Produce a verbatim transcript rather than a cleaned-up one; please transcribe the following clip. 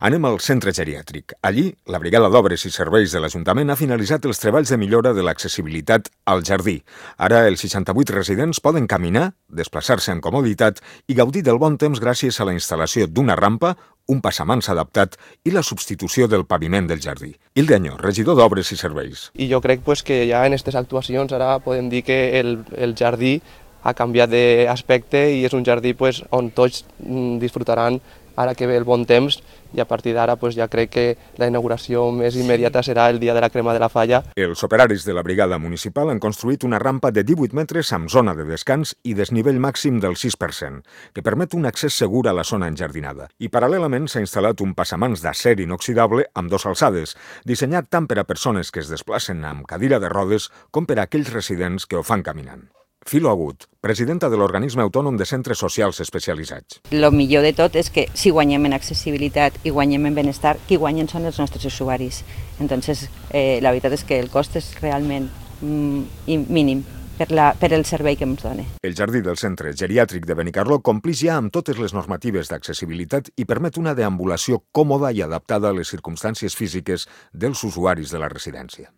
Anem al centre geriàtric. Allí, la Brigada d'Obres i Serveis de l'Ajuntament ha finalitzat els treballs de millora de l'accessibilitat al jardí. Ara, els seixanta-vuit residents poden caminar, desplaçar-se amb comoditat i gaudir del bon temps gràcies a la instal·lació d'una rampa, un passamans adaptat i la substitució del paviment del jardí. Hilde Añó, regidor d'Obres i Serveis. I jo crec pues, que ja en aquestes actuacions ara podem dir que el, el jardí ha canviat d'aspecte i és un jardí pues, on tots disfrutaran ara que ve el bon temps, i a partir d'ara pues, ja crec que la inauguració més immediata serà el dia de la crema de la falla. Els operaris de la brigada municipal han construït una rampa de divuit metres amb zona de descans i desnivell màxim del sis per cent, que permet un accés segur a la zona enjardinada. I paral·lelament s'ha instal·lat un passamans d'acer inoxidable amb dos alçades, dissenyat tant per a persones que es desplacen amb cadira de rodes com per a aquells residents que ho fan caminant. Filo Agut, presidenta de l'Organisme Autònom de Centres Socials Especialitzats. El millor de tot és que si guanyem en accessibilitat i guanyem en benestar, qui guanyen són els nostres usuaris. Entonces, eh, la veritat és que el cost és realment mm, mínim per, la, per el servei que ens dona. El jardí del centre geriàtric de Benicarló complix ja amb totes les normatives d'accessibilitat i permet una deambulació còmoda i adaptada a les circumstàncies físiques dels usuaris de la residència.